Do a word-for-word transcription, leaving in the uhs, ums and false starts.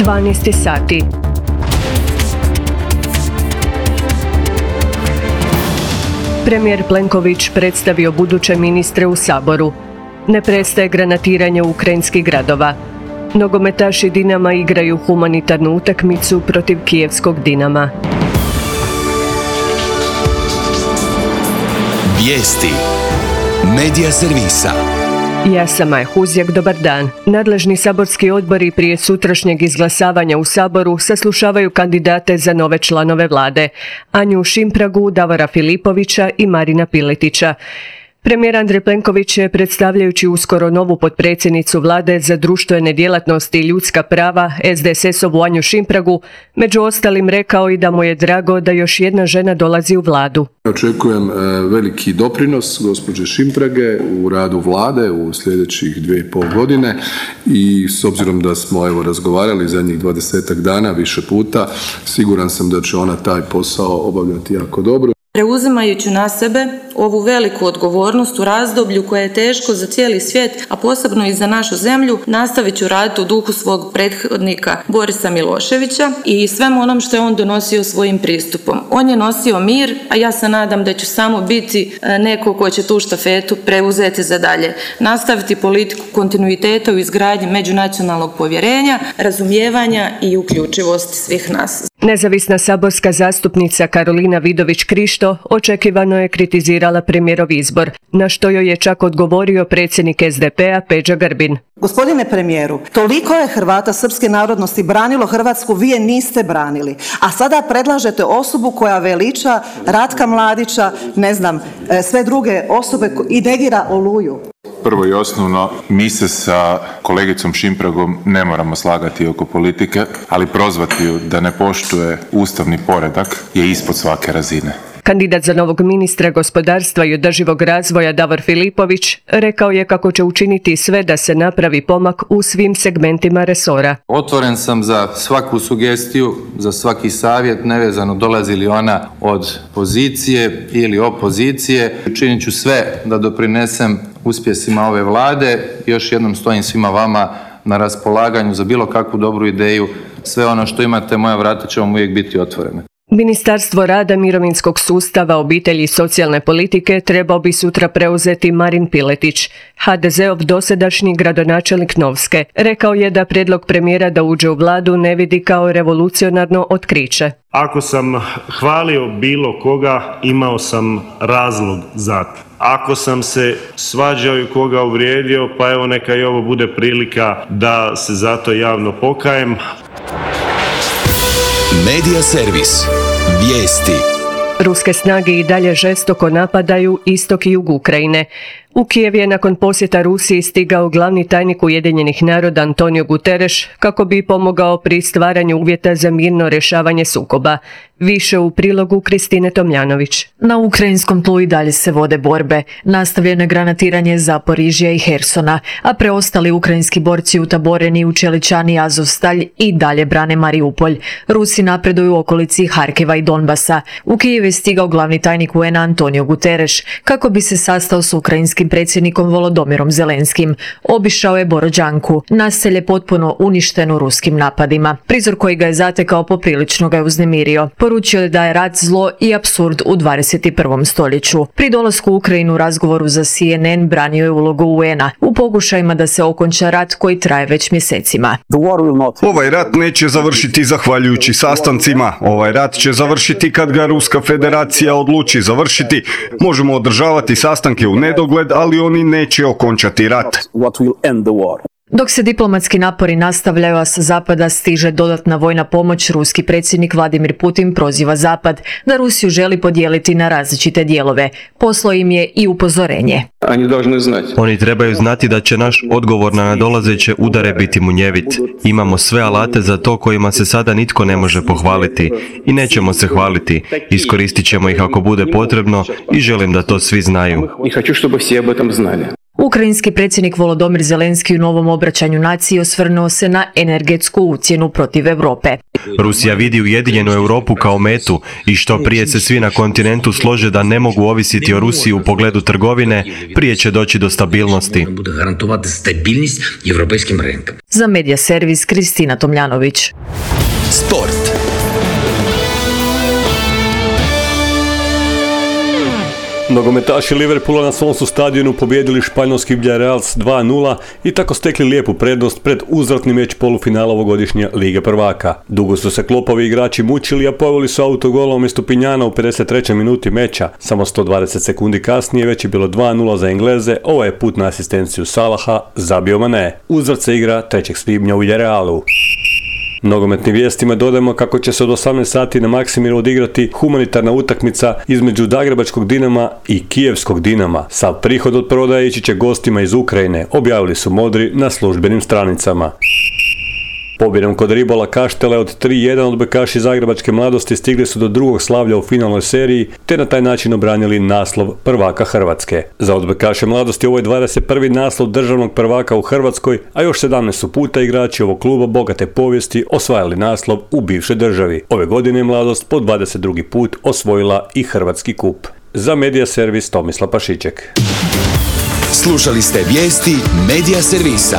dvanaest sati. Premijer Plenković predstavio buduće ministre u Saboru. Ne prestaje granatiranje ukrajinskih gradova. Nogometaši Dinama igraju humanitarnu utakmicu protiv kijevskog Dinama. Vijesti Medija servisa. Ja sam Maja Huzjak, dobar dan. Nadležni saborski odbori prije sutrašnjeg izglasavanja u Saboru saslušavaju kandidate za nove članove vlade, Anju Šimpragu, Davora Filipovića i Marina Piletića. Premijer Andrej Plenković je, predstavljajući uskoro novu potpredsjednicu vlade za društvene djelatnosti i ljudska prava, S D S S-ovu Anju Šimpragu, među ostalim rekao i da mu je drago da još jedna žena dolazi u vladu. Očekujem veliki doprinos gospođe Šimprage u radu vlade u sljedećih dvije i pol godine i s obzirom da smo evo razgovarali zadnjih dvadesetak dana više puta, siguran sam da će ona taj posao obavljati jako dobro. Preuzimajući na sebe ovu veliku odgovornost u razdoblju koje je teško za cijeli svijet, a posebno i za našu zemlju, nastavit ću raditi u duhu svog prethodnika Borisa Miloševića i svemu onom što je on donosio svojim pristupom. On je nosio mir, a ja se nadam da ću samo biti neko ko će tu štafetu preuzeti za dalje. Nastaviti politiku kontinuiteta u izgradnji međunacionalnog povjerenja, razumijevanja i uključivosti svih nas. Nezavisna saborska zastupnica Karolina Vidović-Krišto očekivano je kritizirala premijerov izbor, na što joj je čak odgovorio predsjednik S D P-a Peđa Grbin. Gospodine premijeru, toliko je Hrvata srpske narodnosti branilo Hrvatsku, vi je niste branili. A sada predlažete osobu koja veliča Ratka Mladića, ne znam, sve druge osobe i negira Oluju. Prvo i osnovno, mi se sa kolegicom Šimpragom ne moramo slagati oko politike, ali prozvati ju da ne poštuje ustavni poredak je ispod svake razine. Kandidat za novog ministra gospodarstva i održivog razvoja Davor Filipović rekao je kako će učiniti sve da se napravi pomak u svim segmentima resora. Otvoren sam za svaku sugestiju, za svaki savjet, nevezano dolazi li ona od pozicije ili opozicije. Učinit ću sve da doprinesem uspjesima ove vlade. Još jednom stojim svima vama na raspolaganju za bilo kakvu dobru ideju. Sve ono što imate, moja vrata će vam uvijek biti otvorene. Ministarstvo rada, mirovinskog sustava, obitelji i socijalne politike trebao bi sutra preuzeti Marin Piletić, H D Z-ov dosadašnji gradonačelnik Novske. Rekao je da prijedlog premijera da uđe u vladu ne vidi kao revolucionarno otkriće. Ako sam hvalio bilo koga, imao sam razlog za to. Ako sam se svađao i koga uvrijedio, pa evo neka i ovo bude prilika da se zato javno pokajem. Medija servis. Vijesti. Ruske snage i dalje žestoko napadaju istok i jug Ukrajine. U Kijev je nakon posjeta Rusiji stigao glavni tajnik Ujedinjenih naroda Antonio Guterres kako bi pomogao pri stvaranju uvjeta za mirno rješavanje sukoba. Više u prilogu Kristine Tomljanović. Na ukrajinskom tlu i dalje se vode borbe. Nastavljeno je granatiranje Zaporižja i Hersona, a preostali ukrajinski borci utaboreni u Čeličani i Azovstalj i dalje brane Mariupolj. Rusi napreduju u okolici Harkeva i Donbasa. U Kijev je stigao glavni tajnik U N A Antonio Guterres kako bi se sastao s ukrajinskim predsjednikom Volodomirom Zelenskim. Obišao je Borodjanku, naselje potpuno uništeno ruskim napadima. Prizor koji ga je zatekao poprilično ga je uznemirio. Poručio je da je rat zlo i apsurd u dvadeset prvom stoljeću. Pri dolasku u Ukrajinu u razgovoru za C N N branio je ulogu U N A u pokušajima da se okonča rat koji traje već mjesecima. Ovaj rat neće završiti zahvaljujući sastancima. Ovaj rat će završiti kad ga Ruska federacija odluči završiti. Možemo održavati sastanke u nedogled, ali oni neće okončati rat. Dok se diplomatski napori nastavljaju, a sa zapada stiže dodatna vojna pomoć, ruski predsjednik Vladimir Putin proziva zapad da Rusiju želi podijeliti na različite dijelove. Poslao im je i upozorenje. Oni trebaju znati da će naš odgovor na nadolazeće udare biti munjevit. Imamo sve alate za to kojima se sada nitko ne može pohvaliti. I nećemo se hvaliti. Iskoristit ćemo ih ako bude potrebno i želim da to svi znaju. U Ukrajinski predsjednik Volodymyr Zelenski u novom obraćanju naciji osvrnuo se na energetsku ucjenu protiv Europe. Rusija vidi ujedinjenu Europu kao metu i što prije se svi na kontinentu slože da ne mogu ovisiti o Rusiji u pogledu trgovine, prije će doći do stabilnosti. Za Medija servis Kristina Tomljanović. Sport. Nogometaši Liverpoola na svom su stadionu pobijedili španjolski Villarreal s dva nula i tako stekli lijepu prednost pred uzvratni meč polufinala ovogodišnje Lige prvaka. Dugo su se Kloppovi igrači mučili, a poveli su autogolom umjesto Pinjana u pedeset trećoj minuti meča. Samo sto dvadeset sekundi kasnije već je bilo dva nula za Engleze, ovo je put na asistenciju Salaha, zabio Mané. Uzvrat se igra trećeg svibnja u Villarrealu. Nogometnim vijestima dodajemo kako će se od osamnaest sati na Maksimiru odigrati humanitarna utakmica između Zagrebačkog Dinama i Kijevskog Dinama. Sav prihod od prodaje ići će gostima iz Ukrajine, objavili su Modri na službenim stranicama. Pobjedom kod Ribola Kaštele od tri jedan odbojkaši Zagrebačke mladosti stigli su do drugog slavlja u finalnoj seriji, te na taj način obranili naslov prvaka Hrvatske. Za odbojkaše mladosti ovo je dvadeset prvi naslov državnog prvaka u Hrvatskoj, a još sedamnaest su puta igrači ovog kluba bogate povijesti osvajali naslov u bivšoj državi. Ove godine je mladost po dvadeset drugi put osvojila i Hrvatski kup. Za Medija servis Tomislav Pašiček. Slušali ste vijesti Medija servisa.